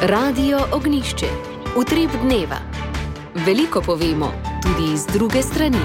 Radio Ognišče, utrip dneva. Veliko povemo, tudi iz druge strani.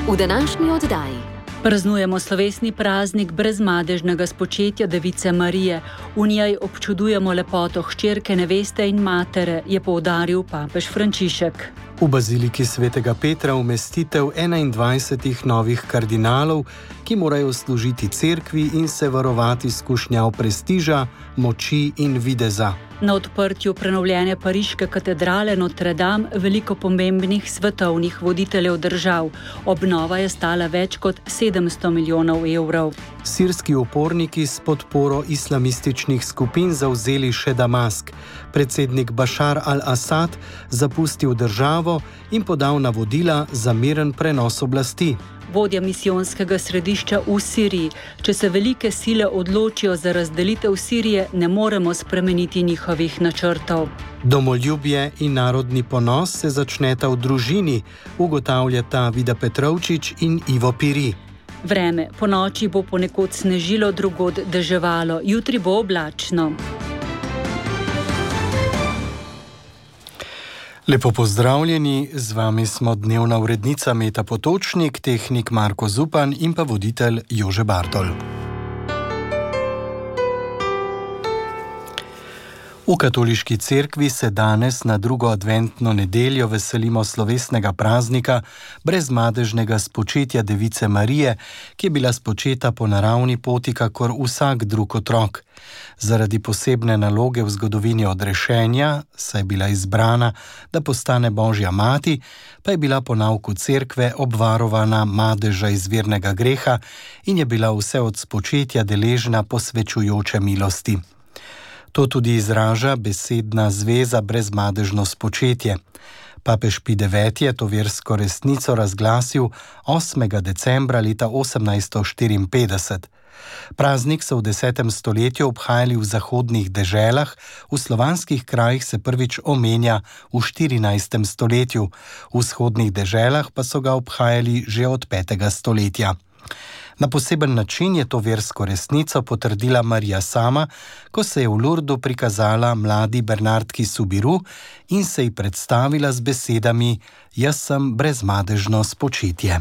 V današnji oddaji praznujemo slovesni praznik brezmadežnega spočetja Device Marije. V njej občudujemo lepoto hčerke, neveste in matere, je poudaril papež Frančišek. V baziliki svetega Petra umestitev 21 novih kardinalov, ki morajo služiti cerkvi in se varovati skušnjav prestiža, moči in videza. Na odprtju prenovljene pariške katedrale Notre Dame veliko pomembnih svetovnih voditeljev držav. Obnova je stala več kot 700 milijonov evrov. Sirski uporniki s podporo islamističnih skupin zavzeli še Damask. Predsednik Bašar al-Asad zapustil državo in podal navodila za miren prenos oblasti. Vodja misijonskega središča v Siriji: če se velike sile odločijo za razdelitev Sirije, ne moremo spremeniti njihovih načrtov. Domoljubje in narodni ponos se začneta v družini, ugotavljata Vida Petrovčič in Ivo Piri. Vreme: ponoči bo ponekod snežilo, drugod deževalo, jutri bo oblačno. Lepo pozdravljeni, z vami smo dnevna urednica Meta Potočnik, tehnik Marko Zupan in pa voditelj Jože Bartol. V katoliški cerkvi se danes na drugo adventno nedeljo veselimo slovesnega praznika brezmadežnega spočetja Device Marije, ki je bila spočeta po naravni poti kakor vsak drug otrok. Zaradi posebne naloge v zgodovini odrešenja, saj je bila izbrana, da postane Božja mati, pa je bila po nauku cerkve obvarovana madeža izvirnega greha in je bila vse od spočetja deležna posvečujoče milosti. To tudi izraža besedna zveza brezmadežno spočetje. Papež Pij IX je to versko resnico razglasil 8. decembra leta 1854. Praznik so v 10. stoletju obhajali v zahodnih deželah, v slovanskih krajih se prvič omenja v 14. stoletju, v vzhodnih deželah pa so ga obhajali že od 5. stoletja. Na poseben način je to versko resnico potrdila Marija sama, ko se je v Lurdu prikazala mladi Bernardki Soubirous in se ji predstavila z besedami: "Jaz sem brezmadežno spočetje."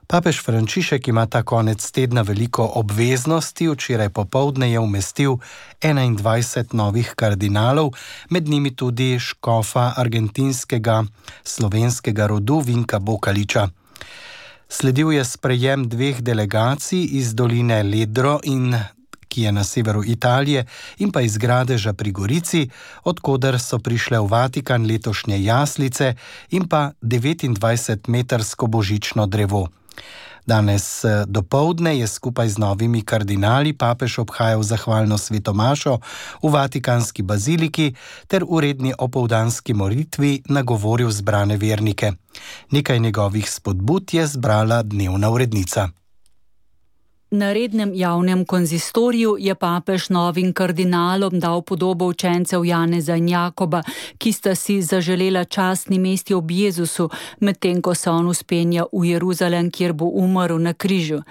Papež Frančišek ima ta konec tedna veliko obveznosti. Včeraj popoldne je umestil 21 novih kardinalov, med njimi tudi škofa argentinskega slovenskega rodu Vinka Bokaliča. Sledil je sprejem dveh delegacij iz doline Ledro, ki je na severu Italije, in pa iz Gradeža pri Gorici, odkoder so prišle v Vatikan letošnje jaslice in pa 29-metrsko božično drevo. Danes dopoldne je skupaj z novimi kardinali papež obhajal zahvalno svetomašo v Vatikanski baziliki ter v redni opoldanski molitvi nagovoril zbrane vernike. Nekaj njegovih spodbud je zbrala dnevna urednica. Na rednem javnem konzistoriju je papež novim kardinalom dal podobo učencev Janeza in Jakoba, ki sta si zaželela častni mesti ob Jezusu, medtem ko se on vzpenja v Jeruzalem, kjer bo umrl na križu.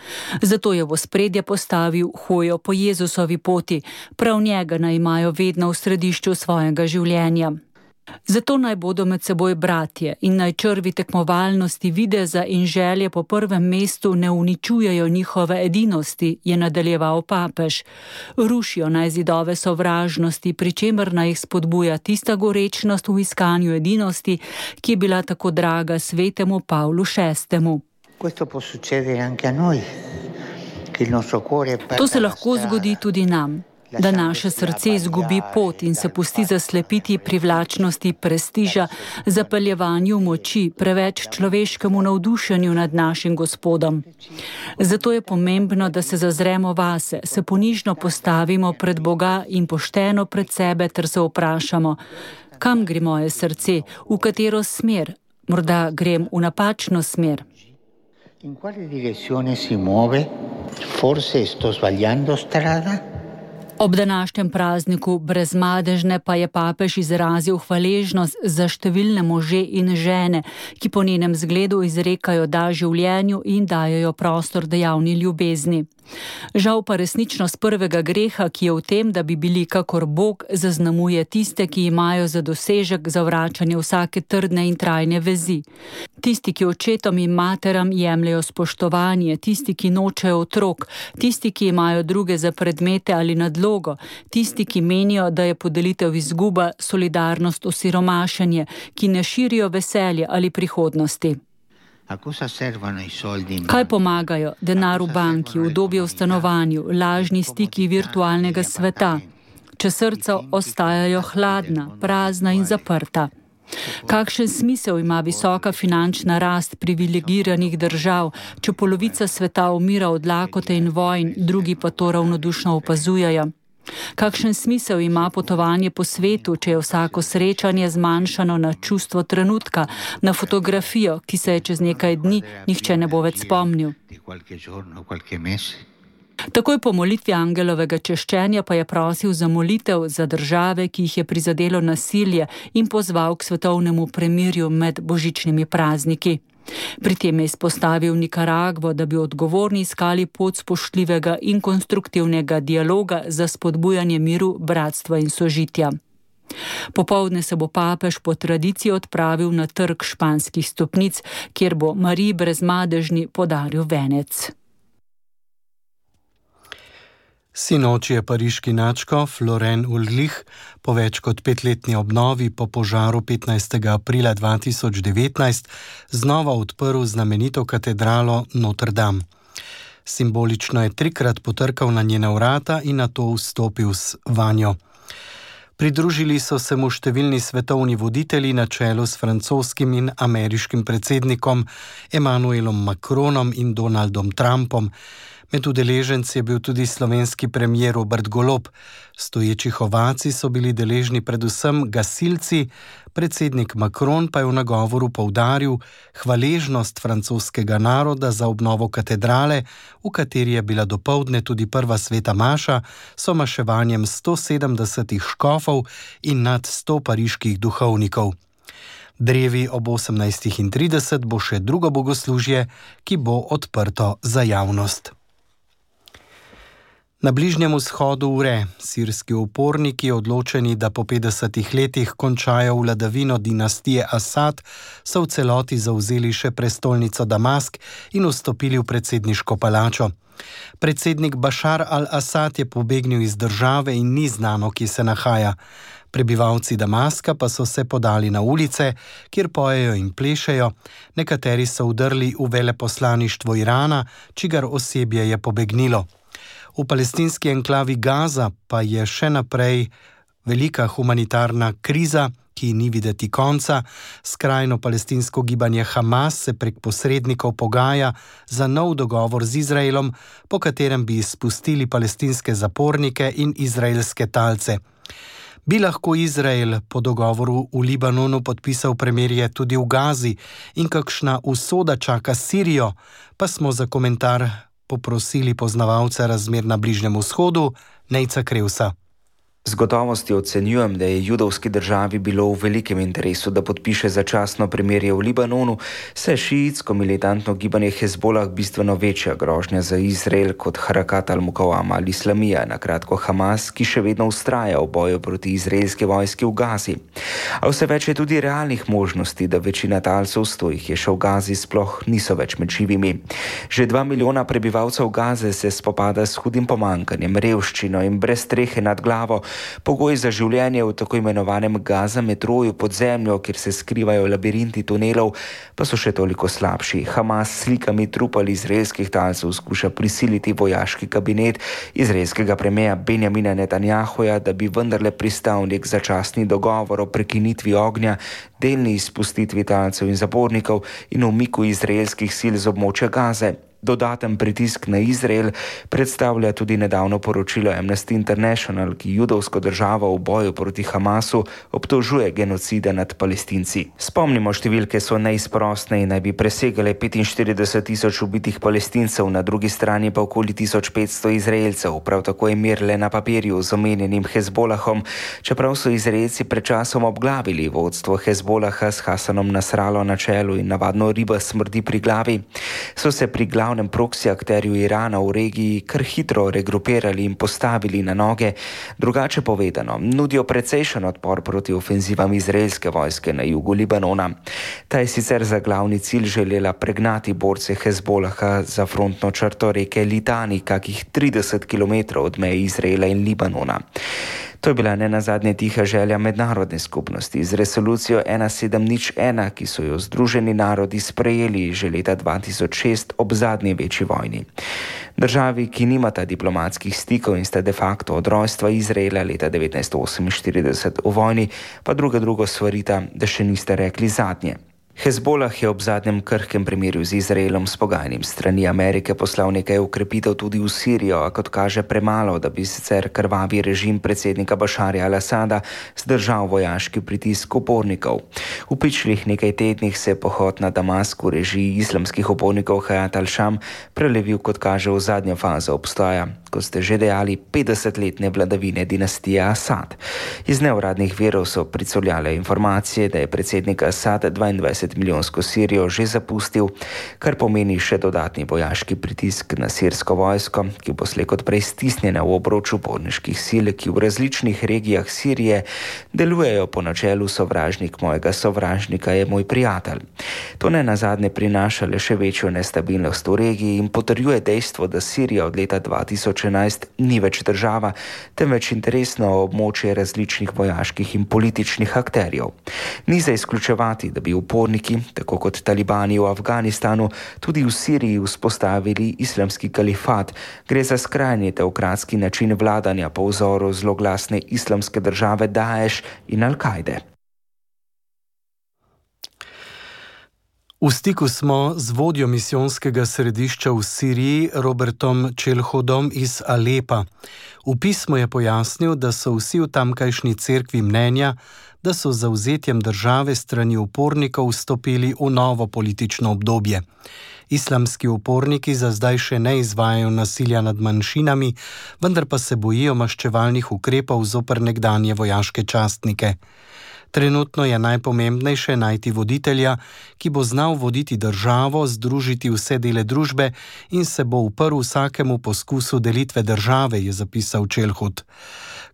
Zato je v ospredje postavil hojo po Jezusovi poti, prav njega naj imajo vedno v središču svojega življenja. Zato naj bodo med seboj bratje in naj črvi tekmovalnosti, videza in želje po prvem mestu ne uničujejo njihove edinosti, je nadaljeval papež. Rušijo naj zidove sovražnosti, pri čemer naj jih spodbuja tista gorečnost v iskanju edinosti, ki je bila tako draga svetemu Pavlu VI. To se lahko zgodi tudi nam, da naše srce izgubi pot in se pusti zaslepiti privlačnosti prestiža, zapeljevanju moči, preveč človeškemu navdušenju nad našim Gospodom. Zato je pomembno, da se zazremo vase, se ponižno postavimo pred Boga in pošteno pred sebe ter se vprašamo: kam gre moje srce, v katero smer? Morda grem v napačno smer. In quale direzione si muove? Forse sto sbagliando strada? Ob današnjem prazniku brezmadežne pa je papež izrazil hvaležnost za številne može in žene, ki po njenem zgledu izrekajo da življenju in dajejo prostor dejavni ljubezni. Žal pa resničnost prvega greha, ki je v tem, da bi bili kakor Bog, zaznamuje tiste, ki imajo za dosežek zavračanje vsake trdne in trajne vezi. Tisti, ki očetom in materam jemljajo spoštovanje, tisti, ki nočejo otrok, tisti, ki imajo druge za predmete ali nadlogo, tisti, ki menijo, da je podelitev izguba, solidarnost osiromašenje, ki ne širijo veselje ali prihodnosti. Kaj pomagajo? Denar v banki, udobje v stanovanju, lažni stiki virtualnega sveta, če srca ostajajo hladna, prazna in zaprta? Kakšen smisel ima visoka finančna rast privilegiranih držav, če polovica sveta umira od lakote in vojn, drugi pa to ravnodušno opazujejo? Kakšen smisel ima potovanje po svetu, če je vsako srečanje zmanjšano na čustvo trenutka, na fotografijo, ki se je čez nekaj dni nihče ne bo več spomnil? Takoj po molitvi angelovega češčenja pa je prosil za molitev za države, ki jih je prizadelo nasilje, in pozval k svetovnemu premirju med božičnimi prazniki. Pri tem je izpostavil Nikaragvo, da bi odgovorni iskali pot spoštljivega in konstruktivnega dialoga za spodbujanje miru, bratstva in sožitja. Popoldne se bo papež po tradiciji odpravil na trg Španskih stopnic, kjer bo Mariji Brezmadežni podaril venec. Sinoči je pariški nadškof Florent Ulrich po več kot 5-letni obnovi po požaru 15. aprila 2019 znova odprl znamenito katedralo Notre Dame. Simbolično je 3-krat potrkal na njena vrata in nato vstopil vanjo. Pridružili so se mu številni svetovni voditelji na čelu s francoskim in ameriškim predsednikom Emmanuelom Macronom in Donaldom Trumpom. Med udeleženci je bil tudi slovenski premier Robert Golob. Stoječih ovacij so bili deležni predvsem gasilci, predsednik Macron pa je v nagovoru poudaril hvaležnost francoskega naroda za obnovo katedrale, v kateri je bila dopoldne tudi prva sveta maša s maševanjem 170 škofov in nad 100 pariških duhovnikov. Drevi ob 18:30 bo še drugo bogoslužje, ki bo odprto za javnost. Na Bližnjem vzhodu vre. Sirski uporniki, odločeni, da po 50 letih končajo vladavino dinastije Asad, so v celoti zavzeli še prestolnico Damask in vstopili v predsedniško palačo. Predsednik Bašar al-Asad je pobegnil iz države in ni znano, kje se nahaja. Prebivalci Damaska pa so se podali na ulice, kjer pojejo in plešejo. Nekateri so vdrli v veleposlaništvo Irana, čigar osebje je pobegnilo. V palestinski enklavi Gaza pa je še naprej velika humanitarna kriza, ki ni videti konca. Skrajno palestinsko gibanje Hamas se prek posrednikov pogaja za nov dogovor z Izraelom, po katerem bi izpustili palestinske zapornike in izraelske talce. Bi lahko Izrael po dogovoru v Libanonu podpisal premirje tudi v Gazi in kakšna usoda čaka Sirijo, pa smo za komentar poprosili poznavalca razmer na Bližnjem vzhodu, Nejca Krevsa. Z gotovostjo ocenjujem, da je judovski državi bilo v velikem interesu, da podpiše začasno premirje v Libanonu, saj šiitsko militantno gibanje Hezbolah bistveno večja grožnja za Izrael kot Harakat al-Mukawama ali Islamija, na kratko Hamas, ki še vedno vztraja v boju proti izraelski vojski v Gazi. A vse več je tudi realnih možnosti, da večina talcev, 100 jih je še v Gazi, sploh niso več med živimi. Že 2 milijona prebivalcev Gaze se spopada s hudim pomanjkanjem, revščino in brez strehe nad glavo. Pogoji za življenje v tako imenovanem Gaza metroju pod zemljo, kjer se skrivajo labirinti tunelov, pa so še toliko slabši. Hamas s slikami trupal izraelskih talcev skuša prisiliti vojaški kabinet izraelskega premierja Benjamina Netanjahuja, da bi vendarle pristal nek začasni dogovor o prekinitvi ognja, delni izpustitvi talcev in zapornikov in umiku izraelskih sil z območja Gaze. Dodaten pritisk na Izrael predstavlja tudi nedavno poročilo Amnesty International, ki judovsko državo v boju proti Hamasu obtožuje genocida nad Palestinci. Spomnimo, številke so neizprostne in naj bi presegale 45,000 ubitih Palestincev, na drugi strani pa okoli 1500 Izraelcev. Prav tako je mir le na papirju z omenjenim Hezbolahom, čeprav so Izraelci pred časom obglavili vodstvo Hezbolaha s Hasanom Nasrallo na čelu in navadno riba smrdi pri glavi. So se pri glavi glavnem proksi akterju Irana v regiji kar hitro regrupirali in postavili na noge, drugače povedano, nudijo precejšen odpor proti ofenzivam izraelske vojske na jugu Libanona. Ta je sicer za glavni cilj želela pregnati borce Hezbolaha za frontno črto reke Litani, kakih 30 km od meje Izraela in Libanona. To je bila nenazadnje tiha želja mednarodne skupnosti z resolucijo 1701, ki so jo Združeni narodi sprejeli že leta 2006 ob zadnji večji vojni. Državi, ki nimata diplomatskih stikov in sta de facto od rojstva Izraela leta 1948 v vojni, pa drugo svarita, da še niste rekli zadnje. Hezbolah je ob zadnjem krhkem primerju z Izraelom s pogajanjem strani Amerike poslal nekaj ukrepitev tudi v Sirijo, a kot kaže premalo, da bi sicer krvavi režim predsednika Bašarja al-Asada zdržal vojaški pritisk upornikov. V pičlih nekaj tednih se je pohod na Damasku režiji islamskih upornikov Hayat al-Sham prelevil, kot kaže, v zadnjo fazo obstoja, kot ste že dejali, 50-letne vladavine dinastije Asad. Iz neuradnih virov so pricurljale informacije, da je predsednik Asad 22-milijonsko Sirijo že zapustil, kar pomeni še dodatni vojaški pritisk na sirsko vojsko, ki bo slej kot prej stisnjena v obroč uporniških sil, ki v različnih regijah Sirije delujejo po načelu sovražnik mojega sovražnika je moj prijatelj. To nenazadnje prinaša le še večjo nestabilnost v regiji in potrjuje dejstvo, da Sirija od leta 2011 ni več država, temveč interesno območje različnih vojaških in političnih akterjev. Ni za izključevati, da bi uporniki, tako kot talibani v Afganistanu, tudi v Siriji vzpostavili islamski kalifat. Gre za skrajni teokratski način vladanja po vzoru zloglasne islamske države Daesh in Al-Kaide. V stiku smo z vodjo misijonskega središča v Siriji, Robertom Čelhodom iz Alepa. V pismu je pojasnil, da so vsi v tamkajšnji cerkvi mnenja, da so z zavzetjem države strani upornikov vstopili v novo politično obdobje. Islamski uporniki za zdaj še ne izvajajo nasilja nad manjšinami, vendar pa se bojijo maščevalnih ukrepov zoper nekdanje vojaške častnike. Trenutno je najpomembnejše najti voditelja, ki bo znal voditi državo, združiti vse dele družbe in se bo uprl vsakemu poskusu delitve države, je zapisal Čelhud.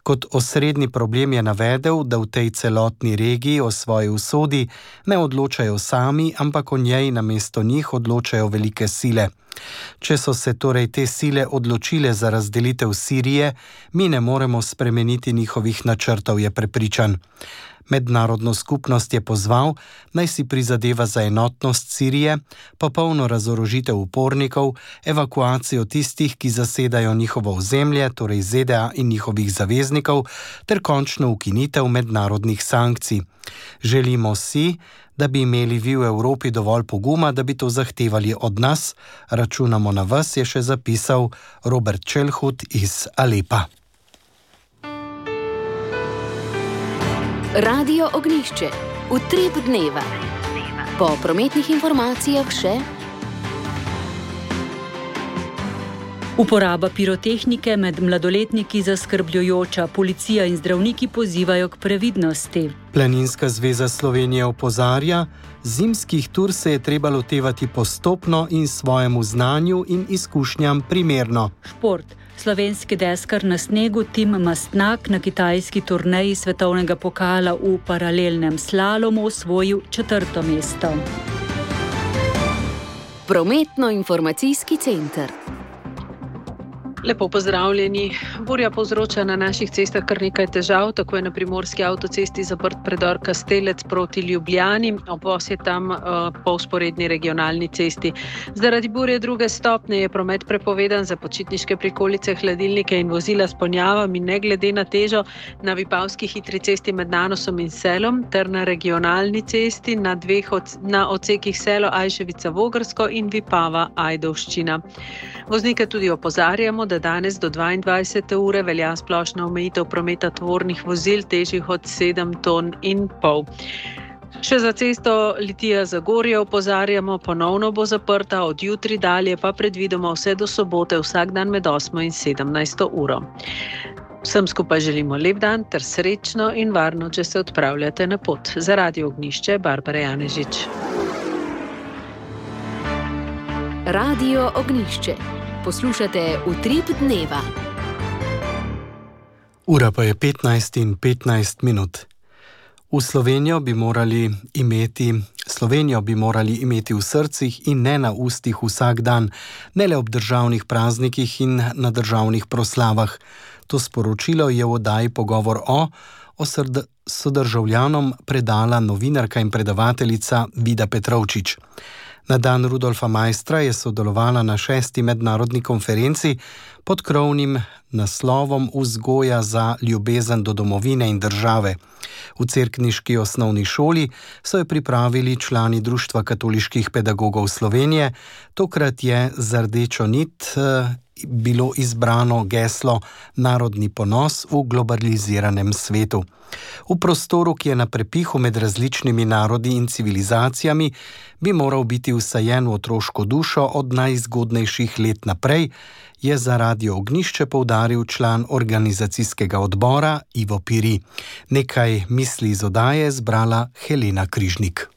Kot osrednji problem je navedel, da v tej celotni regiji o svoji usodi ne odločajo sami, ampak o njej namesto njih odločajo velike sile. Če so se torej te sile odločile za razdelitev Sirije, mi ne moremo spremeniti njihovih načrtov, je prepričan. Mednarodno skupnost je pozval, naj si prizadeva za enotnost Sirije, popolno razorožitev upornikov, evakuacijo tistih, ki zasedajo njihovo ozemlje, torej ZDA in njihovih zaveznikov, ter končno ukinitev mednarodnih sankcij. Želimo si, da bi imeli vi v Evropi dovolj poguma, da bi to zahtevali od nas. Računamo na vas, je še zapisal Robert Čelhud iz Alepa. Radio Ognjišče, utrip dneva. Po prometnih informacijah še: uporaba pirotehnike med mladoletniki zaskrbljujoča, policija in zdravniki pozivajo k previdnosti. Planinska zveza Slovenije opozarja, zimskih tur se je treba lotevati postopno in svojemu znanju in izkušnjam primerno. Šport. Slovenski deskar na snegu Tim Mastnak na kitajski turneji svetovnega pokala v paralelnem slalomu osvojil 4. mesto. Prometno-informacijski center. Lepo pozdravljeni. Burja povzroča na naših cestah kar nekaj težav, tako je na primorski avtocesti zaprt predor Kastelec proti Ljubljani, obvoz je tam po vzporedni regionalni cesti. Zaradi burje 2. stopnje je promet prepovedan za počitniške prikolice, hladilnike in vozila s ponjavami, ne glede na težo, na Vipavski hitri cesti med Nanosom in Selom ter na regionalni cesti na odsekih Selo Ajševica-Vogrsko in Vipava-Ajdovščina. Voznike tudi opozarjamo, da danes do 22. ure velja splošna omejitev prometa tovornih vozil težjih od 7,5 ton. Še za cesto Litija-Zagorje opozarjamo, ponovno bo zaprta, od jutri dalje pa predvidoma vse do sobote vsak dan med 8 in 17. uro. Vsem skupaj želimo lep dan ter srečno in varno, če se odpravljate na pot. Za Radio Ognjišče, Barbara Janežič. Radio Ognišče. Poslušate Utrip dneva. Ura pa je 15:15. Slovenijo bi morali imeti v srcih in ne na ustih vsak dan, ne le ob državnih praznikih in na državnih proslavah. To sporočilo je v oddaji Pogovor o sodržavljanom predala novinarka in predavateljica Vida Petrovčič. Na dan Rudolfa Maistra je sodelovala na 6. mednarodni konferenci pod krovnim naslovom Vzgoja za ljubezen do domovine in države. V cerkniški osnovni šoli so jo pripravili člani Društva katoliških pedagogov Slovenije. Tokrat je za rdečo nit bilo izbrano geslo Narodni ponos v globaliziranem svetu. V prostoru, ki je na prepihu med različnimi narodi in civilizacijami, bi moral biti vsajen v otroško dušo od najzgodnejših let naprej, je za Radio Ognišče poudaril član organizacijskega odbora Ivo Piri. Nekaj misli iz oddaje je zbrala Helena Križnik.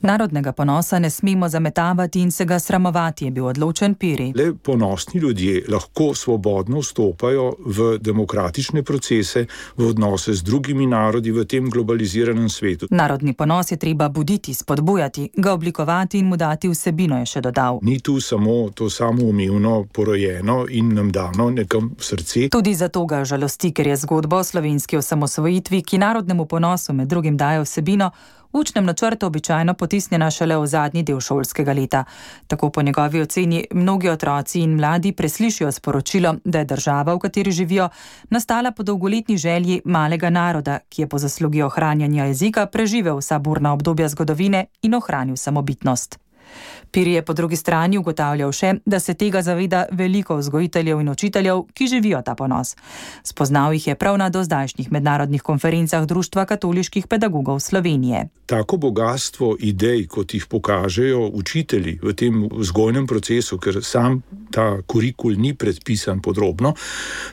Narodnega ponosa ne smemo zametavati in se ga sramovati, je bil odločen Piri. Le ponosni ljudje lahko svobodno vstopajo v demokratične procese, v odnose z drugimi narodi v tem globaliziranem svetu. Narodni ponos je treba buditi, spodbujati, ga oblikovati in mu dati vsebino, je še dodal. Ni tu samo to samoumevno porojeno in nam dano nekam v srce. Tudi zato ga žalosti, ker je zgodba o slovenski osamosvojitvi, ki narodnemu ponosu med drugim daje vsebino, v učnem načrtu običajno potisnjena šele v zadnji del šolskega leta. Tako po njegovi oceni mnogi otroci in mladi preslišijo sporočilo, da je država, v kateri živijo, nastala po dolgoletni želji malega naroda, ki je po zaslugi ohranjanja jezika preživel vsa burna obdobja zgodovine in ohranil samobitnost. Piri je po drugi strani ugotavljal še, da se tega zaveda veliko vzgojiteljev in učiteljev, ki živijo ta ponos. Spoznal jih je prav na dozdajšnjih mednarodnih konferencah Društva katoliških pedagogov Slovenije. Tako bogatstvo idej, kot jih pokažejo učitelji v tem vzgojnem procesu, ker sam ta kurikul ni predpisan podrobno,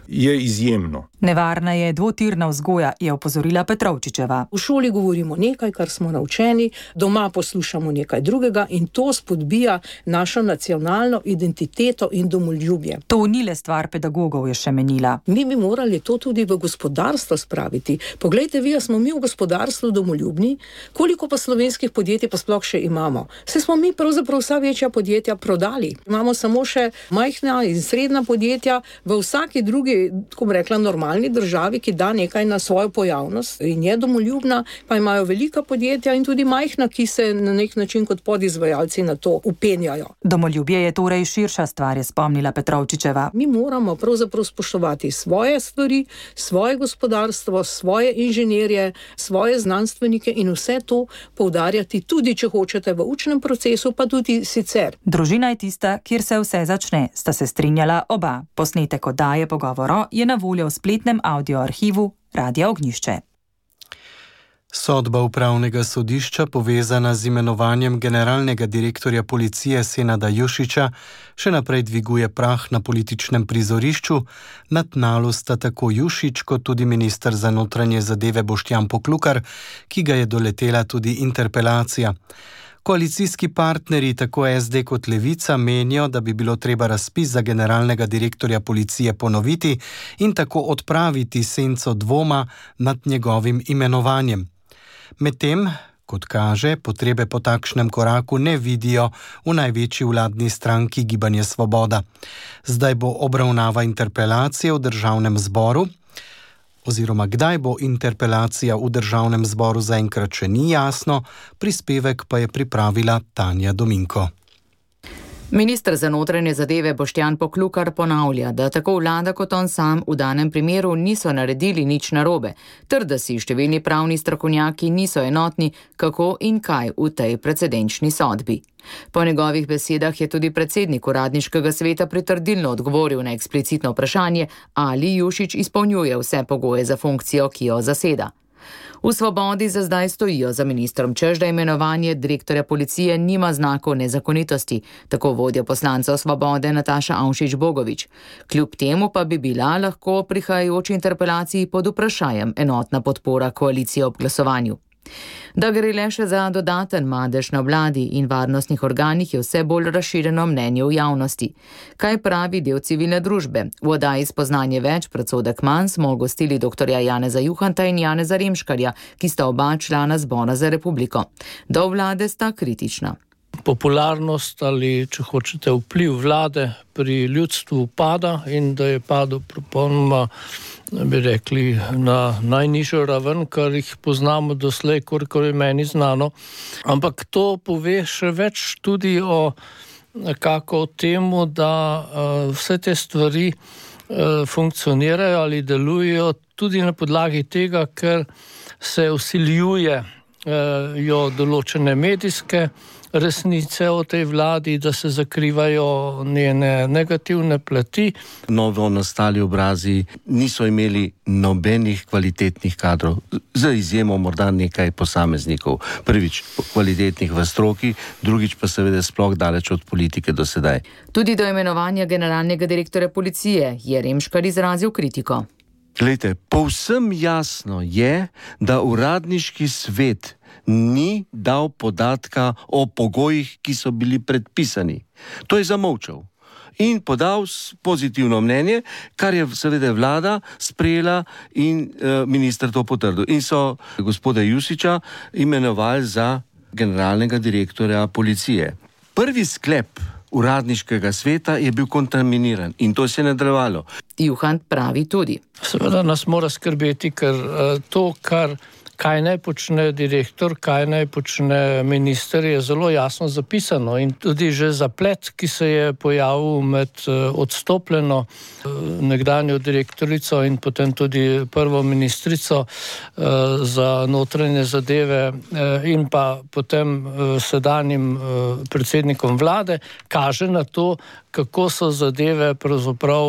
je izjemno. Nevarna je dvotirna vzgoja, je opozorila Petrovčičeva. V šoli govorimo nekaj, kar smo naučeni, doma poslušamo nekaj drugega in to spodbija našo nacionalno identiteto in domoljubje. To ni le stvar pedagogov, je še menila. Mi bi morali to tudi v gospodarstvo spraviti. Poglejte vi, smo mi v gospodarstvu domoljubni, koliko pa slovenskih podjetij pa sploh še imamo. Se smo mi pravzaprav vsa večja podjetja prodali. Imamo samo še majhna in srednja podjetja v vsaki drugi, ko bi rekla, normalni državi, ki da nekaj na svojo pojavnost in je domoljubna, pa imajo velika podjetja in tudi majhna, ki se na nek način kot podizvajalci na to upenjajo. Domoljubje je torej širša stvar, je spomnila Petrovčičeva. Mi moramo pravzaprav spoštovati svoje stvari, svoje gospodarstvo, svoje inženirje, svoje znanstvenike in vse to poudarjati tudi, če hočete, v učnem procesu, pa tudi sicer. Družina je tista, kjer se vse začne, sta se strinjala oba. Posnetek oddaje Pogovor je na voljo v spletnem audioarhivu Radia Ognišče. Sodba upravnega sodišča, povezana z imenovanjem generalnega direktorja policije Senada Jušića, še naprej dviguje prah na političnem prizorišču. Na tnalu sta tako Jušić kot tudi minister za notranje zadeve Boštjan Poklukar, ki ga je doletela tudi interpelacija. Koalicijski partnerji, tako SD kot Levica, menijo, da bi bilo treba razpis za generalnega direktorja policije ponoviti in tako odpraviti senco dvoma nad njegovim imenovanjem. Medtem, kot kaže, potrebe po takšnem koraku ne vidijo v največji vladni stranki Gibanje Svoboda. Zdaj bo obravnava interpelacije v državnem zboru, oziroma kdaj bo interpelacija v državnem zboru, zaenkrat še ni jasno, prispevek pa je pripravila Tanja Dominko. Minister za notranje zadeve Boštjan Poklukar ponavlja, da tako vlada kot on sam v danem primeru niso naredili nič narobe, ter da si številni pravni strokovnjaki niso enotni, kako in kaj v tej precedenčni sodbi. Po njegovih besedah je tudi predsednik uradniškega sveta pritrdilno odgovoril na eksplicitno vprašanje, ali Jušić izpolnjuje vse pogoje za funkcijo, ki jo zaseda. V Svobodi za zdaj stojijo za ministrom, češ da imenovanje direktorja policije nima znakov nezakonitosti, tako vodja poslancev Svobode Nataša Avšič Bogovič. Kljub temu pa bi bila lahko prihajajoči interpelaciji pod vprašanjem enotna podpora koalicije ob glasovanju. Da gre le še za dodaten madež na vladi in varnostnih organih, je vse bolj razširjeno mnenje v javnosti. Kaj pravi del civilne družbe? V oddaji Spoznanje več, predsodek manj smo gostili dr. Janeza Juhanta in Janeza Remškarja, ki sta oba člana Zbora za republiko. Do vlade sta kritična. Popularnost ali, če hočete, vpliv vlade pri ljudstvu pada in da je padel popolnoma, bi rekli, na najnižjo raven, kar jih poznamo doslej, kolikor je meni znano. Ampak to pove še več tudi o temu, da vse te stvari funkcionirajo ali delujejo tudi na podlagi tega, ker se vsiljujejo določene medijske resnice o tej vladi, da se zakrivajo njene negativne plati. Novo nastali obrazi niso imeli nobenih kvalitetnih kadrov, za izjemo morda nekaj posameznikov. Prvič kvalitetnih v stroki, drugič pa seveda sploh daleč od politike do sedaj. Tudi do imenovanja generalnega direktorja policije je Remškar izrazil kritiko. Glejte, povsem jasno je, da uradniški svet ni dal podatka o pogojih, ki so bili predpisani. To je zamolčal in podal pozitivno mnenje, kar je seveda vlada sprejela in minister to potrdil. In so gospoda Jusića imenovali za generalnega direktorja policije. Prvi sklep uradniškega sveta je bil kontaminiran in to se je nadaljevalo. Juhant pravi tudi. Seveda nas mora skrbeti, ker to, kaj naj počne direktor, kaj naj počne minister, je zelo jasno zapisano in tudi že zaplet, ki se je pojavil med odstopljeno nekdanjo direktorico in potem tudi prvo ministrico za notranje zadeve in pa potem sedanjim predsednikom vlade, kaže na to, kako so zadeve pravzaprav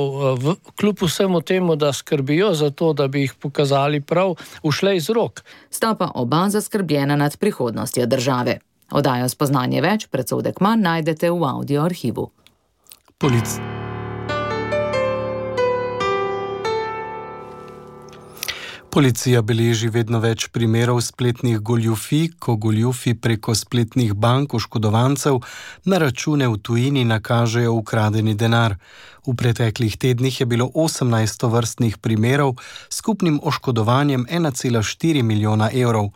kljub vsemu temu, da skrbijo za to, da bi jih pokazali prav, ušle iz rok. Sta pa oba zaskrbljena nad prihodnostjo države. Oddajo Spoznanje več, predsodek manj najdete v audio arhivu. Policija beleži vedno več primerov spletnih goljufij, ko goljufi preko spletnih bank oškodovancev na račune v tujini nakažejo ukradeni denar. V preteklih tednih je bilo 18 tovrstnih primerov s skupnim oškodovanjem 1,4 milijona evrov.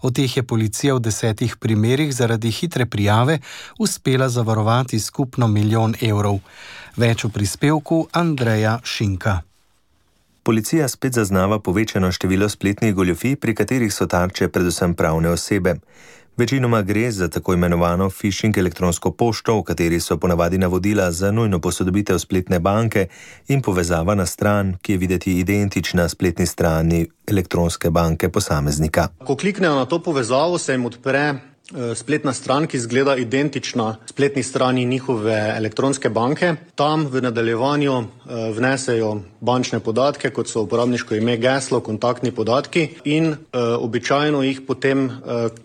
Od teh je policija v 10 primerih zaradi hitre prijave uspela zavarovati skupno 1 milijon evrov. Več v prispevku Andreja Šinka. Policija spet zaznava povečano število spletnih goljufij, pri katerih so tarče predvsem pravne osebe. Večinoma gre za tako imenovano phishing elektronsko pošto, v kateri so ponavadi navodila za nujno posodobitev spletne banke in povezava na stran, ki je videti identična spletni strani elektronske banke posameznika. Ko kliknejo na to povezavo, se jim odpre spletna stran, ki izgleda identična spletni strani njihove elektronske banke. Tam v nadaljevanju vnesejo bančne podatke, kot so uporabniško ime, geslo, kontaktni podatki in običajno jih potem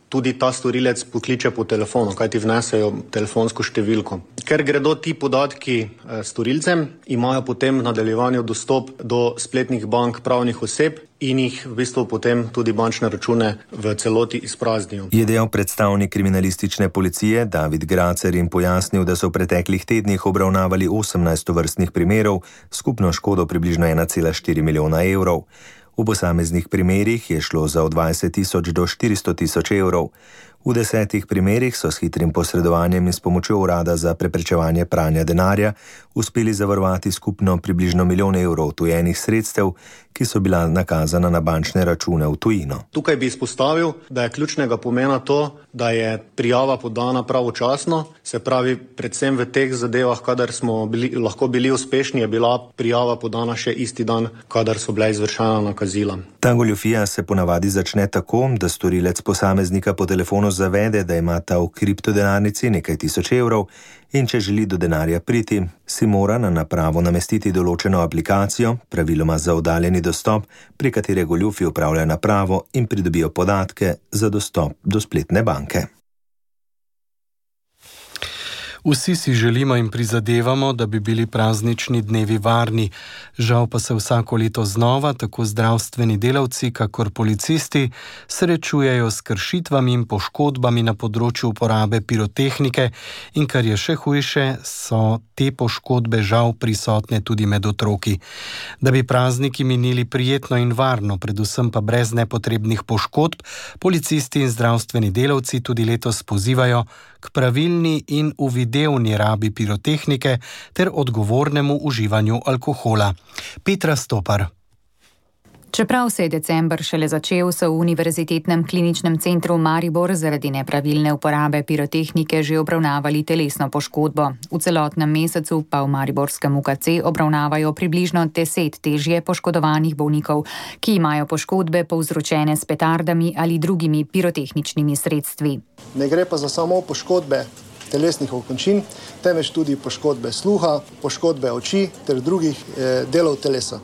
tudi ta storilec pokliče po telefonu, kajti vnesejo telefonsko številko. Ker gredo ti podatki storilcem, imajo potem v nadaljevanju dostop do spletnih bank pravnih oseb in jih v bistvu potem tudi bančne račune v celoti izpraznijo. Je dejal predstavnik kriminalistične policije David Gracer in pojasnil, da so v preteklih tednih obravnavali 18 vrstnih primerov, skupno škodo približno 1,4 milijona evrov. V posameznih primerih je šlo za od 20 tisoč do 400 tisoč evrov. V 10 primerih so s hitrim posredovanjem in s pomočjo Urada za preprečevanje pranja denarja uspeli zavarovati skupno približno 1 milijon evrov tujenih sredstev, ki so bila nakazana na bančne račune v tujino. Tukaj bi izpostavil, da je ključnega pomena to, da je prijava podana pravočasno, se pravi predvsem v teh zadevah, kadar smo lahko bili uspešni, je bila prijava podana še isti dan, kadar so bila izvršena nakazila. Ta goljufija se ponavadi začne tako, da storilec posameznika po telefonu zavede, da ima ta v kriptodenarnici nekaj tisoč evrov in če želi do denarja priti, si mora na napravo namestiti določeno aplikacijo, praviloma za oddaljeni dostop, pri katere goljufi upravljajo napravo in pridobijo podatke za dostop do spletne banke. Vsi si želimo in prizadevamo, da bi bili praznični dnevi varni. Žal pa se vsako leto znova tako zdravstveni delavci, kakor policisti srečujejo s kršitvami in poškodbami na področju uporabe pirotehnike in kar je še hujše, so te poškodbe žal prisotne tudi med otroki. Da bi prazniki minili prijetno in varno, predvsem pa brez nepotrebnih poškodb, policisti in zdravstveni delavci tudi letos pozivajo k pravilni in uvidevni rabi pirotehnike ter odgovornemu uživanju alkohola. Petra Stopar. Čeprav se je december šele začel, so v Univerzitetnem kliničnem centru Maribor zaradi nepravilne uporabe pirotehnike že obravnavali telesno poškodbo. V celotnem mesecu pa v mariborskem UKC obravnavajo približno 10 težje poškodovanih bolnikov, ki imajo poškodbe povzročene s petardami ali drugimi pirotehničnimi sredstvi. Ne gre pa za samo poškodbe telesnih okončin, temveč tudi poškodbe sluha, poškodbe oči ter drugih delov telesa.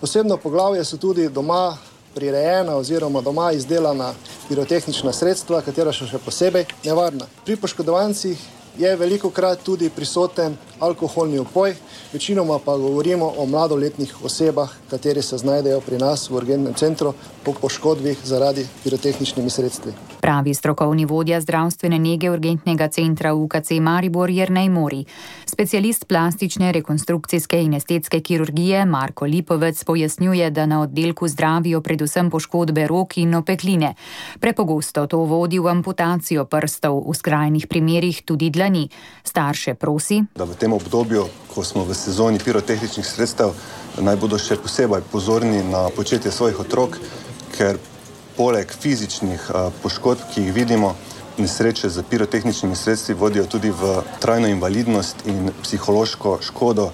Posebno poglavje so tudi doma prirejena oziroma doma izdelana pirotehnična sredstva, katera so še posebej nevarna. Pri poškodovancih je velikokrat tudi prisoten alkoholni upoj, večinoma pa govorimo o mladoletnih osebah, kateri se znajdejo pri nas v urgentnem centru po poškodbih zaradi pirotehničnimi sredstvi. Pravi strokovni vodja zdravstvene nege urgentnega centra UKC Maribor Jernej Mori. Specialist plastične, rekonstrukcijske in estetske kirurgije Marko Lipovec pojasnjuje, da na oddelku zdravijo predvsem poškodbe rok in opekline. Prepogosto to vodi v amputacijo prstov, v skrajnih primerih tudi dlani. Starše prosi, da v tem obdobju, ko smo v sezoni pirotehničnih sredstev, naj bodo še posebej pozorni na početje svojih otrok, ker poleg fizičnih poškodb, ki jih vidimo, nesreče z pirotehničnimi sredstvi vodijo tudi v trajno invalidnost in psihološko škodo,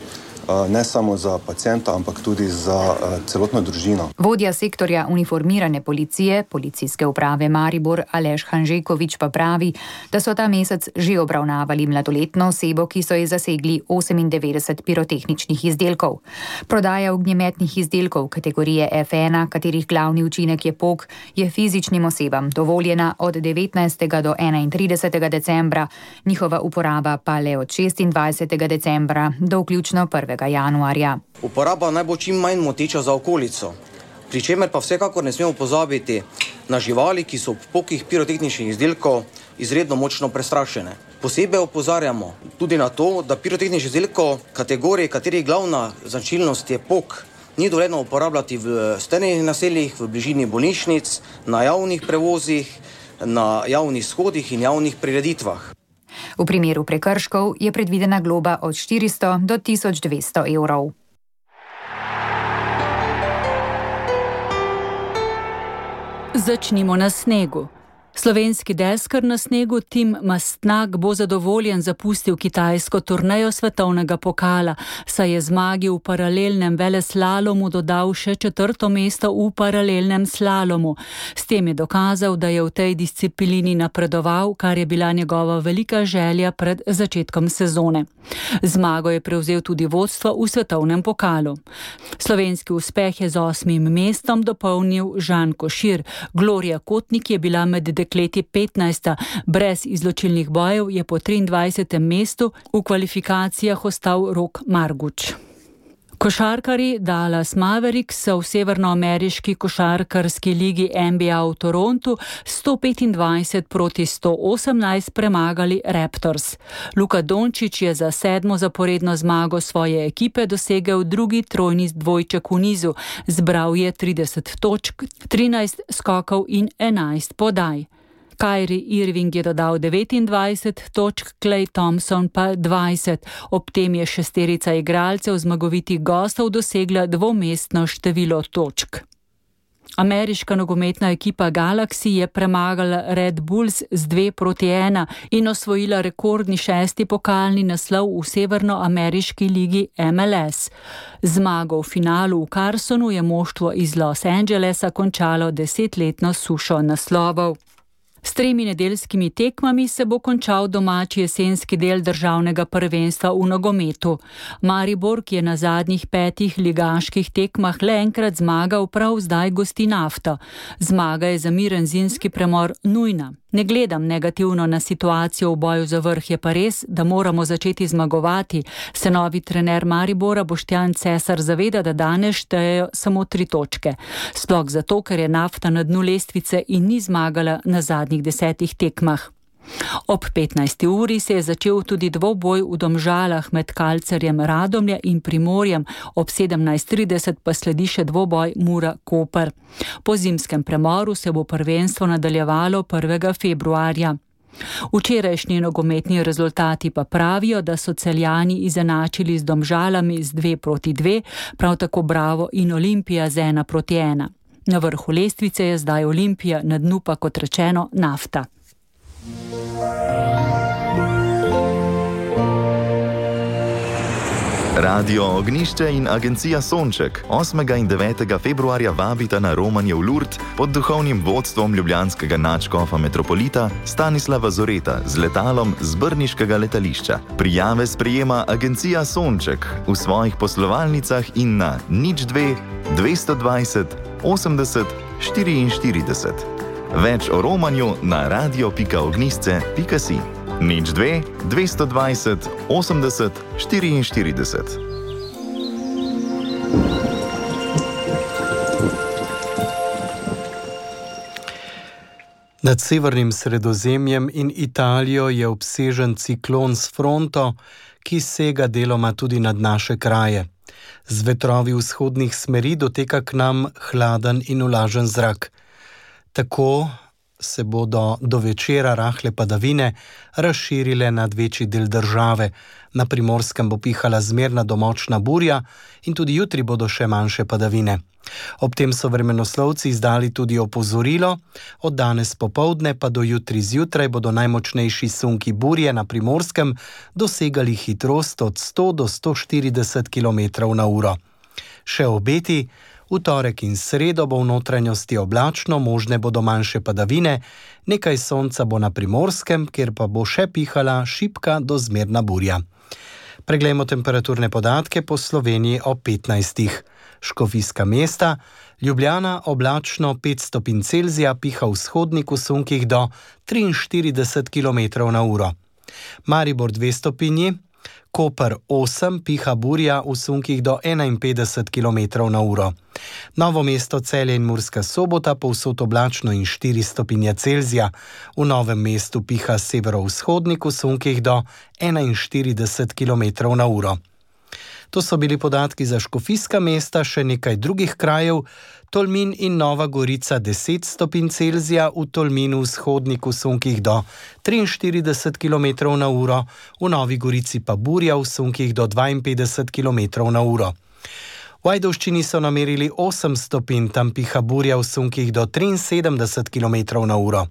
ne samo za pacienta, ampak tudi za celotno družino. Vodja sektorja uniformirane policije, policijske uprave Maribor Aleš Hanžekovič pa pravi, da so ta mesec že obravnavali mladoletno osebo, ki so ji zasegli 98 pirotehničnih izdelkov. Prodaja ognjemetnih izdelkov kategorije F1, katerih glavni učinek je pok, je fizičnim osebam dovoljena od 19. do 31. decembra, njihova uporaba pa le od 26. decembra do vključno 1. januarja. Uporaba naj bo čim manj moteča za okolico, pri čemer pa vsekakor ne smemo pozabiti na živali, ki so ob pokih pirotehničnih izdelkov izredno močno prestrašene. Posebej opozarjamo tudi na to, da pirotehničnih izdelkov kategorije, katerih glavna značilnost je pok, ni dovoljeno uporabljati v strnjenih naseljih, v bližini bolnišnic, na javnih prevozih, na javnih shodih in javnih prireditvah. V primeru prekrškov je predvidena globa od 400 do 1200 evrov. Začnimo na snegu. Slovenski deskar na snegu Tim Mastnak bo zadovoljen zapustil kitajsko turnejo svetovnega pokala, saj je zmagi v paralelnem veleslalomu dodal še 4. mesto v paralelnem slalomu. S tem je dokazal, da je v tej disciplini napredoval, kar je bila njegova velika želja pred začetkom sezone. Zmago je prevzel tudi vodstvo v svetovnem pokalu. Slovenski uspeh je z 8. mestom dopolnil Žan Košir. Gloria Kotnik je bila med dekleti 15. Brez izločilnih bojev je po 23. mestu v kvalifikacijah ostal Rok Marguč. Košarkarji Dallas Mavericks so v severnoameriški košarkarski ligi NBA v Torontu 125 proti 118 premagali Raptors. Luka Dončić je za 7. zaporedno zmago svoje ekipe dosegel drugi trojni dvojček v nizu. Zbral je 30 točk, 13 skokov in 11 podaj. Kyrie Irving je dodal 29 točk, Klay Thompson pa 20. Ob tem je šesterica igralcev zmagovitih gostov dosegla dvomestno število točk. Ameriška nogometna ekipa Galaxy je premagala Red Bulls z 2-1 in osvojila rekordni 6. pokalni naslov v severnoameriški ligi MLS. Zmago v finalu v Carsonu je moštvo iz Los Angelesa končalo 10-letno sušo naslovov. S 3 nedeljskimi tekmami se bo končal domači jesenski del državnega prvenstva v nogometu. Maribor, ki je na zadnjih 5 ligaških tekmah le enkrat zmagal, prav zdaj gosti Nafto. Zmaga je za miren zimski premor nujna. Ne gledam negativno na situacijo v boju za vrh, je pa res, da moramo začeti zmagovati. Se novi trener Maribora Boštjan Cesar zaveda, da danes štejejo samo 3 točke. Sploh zato, ker je Nafta na dnu lestvice in ni zmagala na zadnjih 10 tekmah. Ob 15. uri se je začel tudi dvoboj v Domžalah med Kalcerjem Radomlje in Primorjem, ob 17:30 pa sledi še dvoboj Mura-Koper. Po zimskem premoru se bo prvenstvo nadaljevalo 1. februarja. Včerajšnji nogometni rezultati pa pravijo, da so Celjani izenačili z Domžalami z 2:2, prav tako Bravo in Olimpija z 1:1. Na vrhu lestvice je zdaj Olimpija, na dnu pa, kot rečeno, Nafta. Radio Ognišče in agencija Sonček 8. in 9. februarja vabita na romanje v Lourdes pod duhovnim vodstvom ljubljanskega nadškofa metropolita Stanislava Zoreta z letalom z brniškega letališča. Prijave sprejema agencija Sonček v svojih poslovalnicah in na 02 220 80 44. Več o romanju na radio.ognisce.si. 02 220 80 44. Nad severnim Sredozemljem in Italijo je obsežen ciklon s fronto, ki sega deloma tudi nad naše kraje. Z vetrovi vzhodnih smeri doteka k nam hladen in vlažen zrak. Tako se bodo do večera rahle padavine razširile nad večji del države. Na Primorskem bo pihala zmerna do močna burja in tudi jutri bodo še manjše padavine. Ob tem so vremenoslovci izdali tudi opozorilo, od danes popoldne pa do jutri zjutraj bodo najmočnejši sunki burje na Primorskem dosegali hitrost od 100 do 140 km/h. Še obeti: v torek in sredo bo v notranjosti oblačno, možne bodo manjše padavine, nekaj sonca bo na Primorskem, kjer pa bo še pihala šibka do zmerna burja. Preglejmo temperaturne podatke po Sloveniji ob 15. Škofijska Mesta, Ljubljana oblačno 5 stopinj Celzija, piha vzhodnik v sunkih do 43 km/h. Maribor 2 stopinji, Koper 8, piha burja v sunkih do 51 km/h. Novo mesto, Celje in Murska Sobota povsod oblačno in 4 stopinje Celzija. V Novem mestu piha severovzhodnik v sunkih do 41 km/h. To so bili podatki za Škofijska Mesta, še nekaj drugih krajev. Tolmin in Nova Gorica 10 stopinj Celzija, v Tolminu vzhodnik v sunkih do 43 km/h, v Novi Gorici pa burja v sunkih do 52 km/h. V Ajdovščini so namerili 8 stopinj, tam piha burja v sunkih do 73 km/h.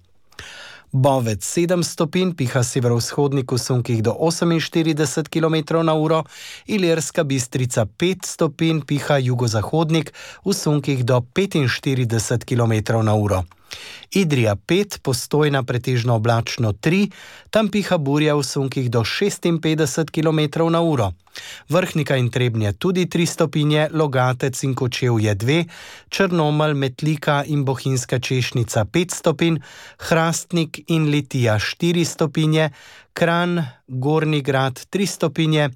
Bovec 7 stopinj, piha severovzhodnik v sunkih do 48 km/h, Ilirska Bistrica 5 stopinj, piha jugozahodnik v sunkih do 45 km/h. Idrija 5, Postojna pretežno oblačno 3, tam piha burja v sunkih do 56 km/h. Vrhnika in Trebnje tudi 3 stopinje, Logatec in Kočevje 2, Črnomelj, Metlika in Bohinjska Češnica 5 stopinj, Hrastnik in Litija 4 stopinje, Kranj, Gornji Grad 3 stopinje,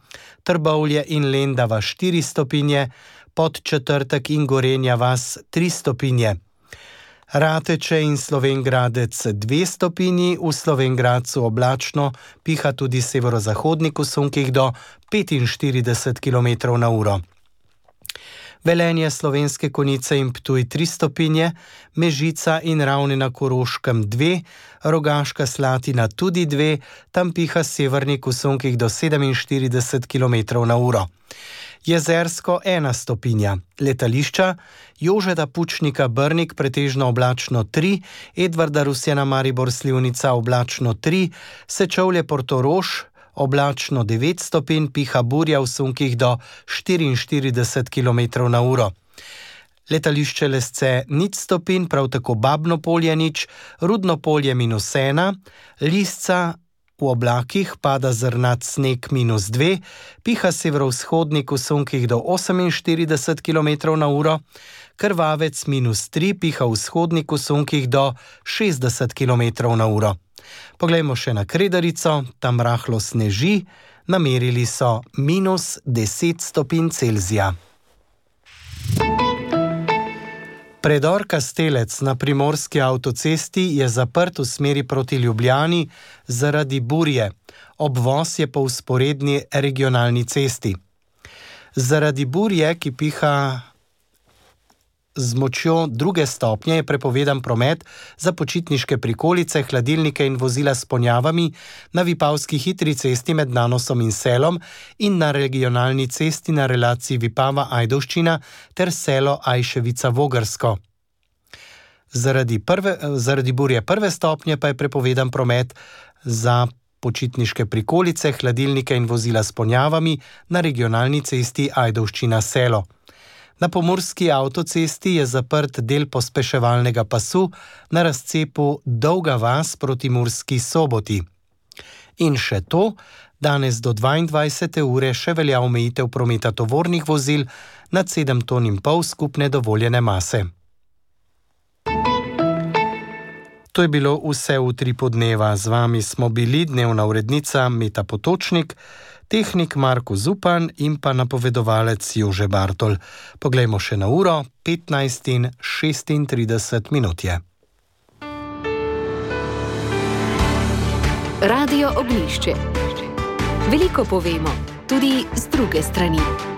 Trbovlje in Lendava 4 stopinje, Podčetrtek in Gorenja vas 3 stopinje. Rateče in Slovenj Gradec 2 stopinji, v Slovenj Gradcu oblačno, piha tudi severozahodnik v sunkih do 45 km/h. Velenje, Slovenske Konjice in Ptuj 3 stopinje, Mežica in Ravne na Koroškem 2, Rogaška Slatina tudi 2, tam piha severnik v sunkih do 47 km/h. Jezersko 1 stopinja, letališča, Jožeta Pučnika Brnik pretežno oblačno 3, Edvarda Rusjana Maribor Slivnica oblačno 3, Sečovlje Portorož oblačno 9 stopinj, piha burja v sunkih do 44 km/h. Letališče Lesce 0 stopinj, prav tako Babno Polje 0, Rudno Polje -1, Lisca V oblakih pada zrnat sneg -2, piha severovzhodnik v sunkih do 48 km/h, krvavec -3, piha vzhodnik v sunkih do 60 km/h. Poglejmo še na Kredarico, tam rahlo sneži, namerili so -10 stopinj Celzija. Predor Kastelec na primorski avtocesti je zaprt v smeri proti Ljubljani zaradi burje. Obvoz je po vzporedni regionalni cesti. Zaradi burje, ki piha z močjo 2. stopnje, je prepovedan promet za počitniške prikolice, hladilnike in vozila s ponjavami na Vipavski hitri cesti med Nanosom in Selom in na regionalni cesti na relaciji Vipava-Ajdovščina ter Selo Ajševica-Vogrsko. Zaradi burje 1. stopnje pa je prepovedan promet za počitniške prikolice, hladilnike in vozila s ponjavami na regionalni cesti Ajdovščina-Selo. Na pomurski avtocesti je zaprt del pospeševalnega pasu na razcepu Dolga vas proti Murski Soboti. In še to, danes do 22. ure še velja omejitev prometa tovornih vozil nad 7,5 ton skupne dovoljene mase. To je bilo vse v Utripu dneva. Z vami smo bili dnevna urednica Meta Potočnik, tehnik Marko Zupan in pa napovedovalec Jože Bartol. Poglejmo še na uro, 15:36 je. Radio Oglišče. Veliko povemo, tudi z druge strani.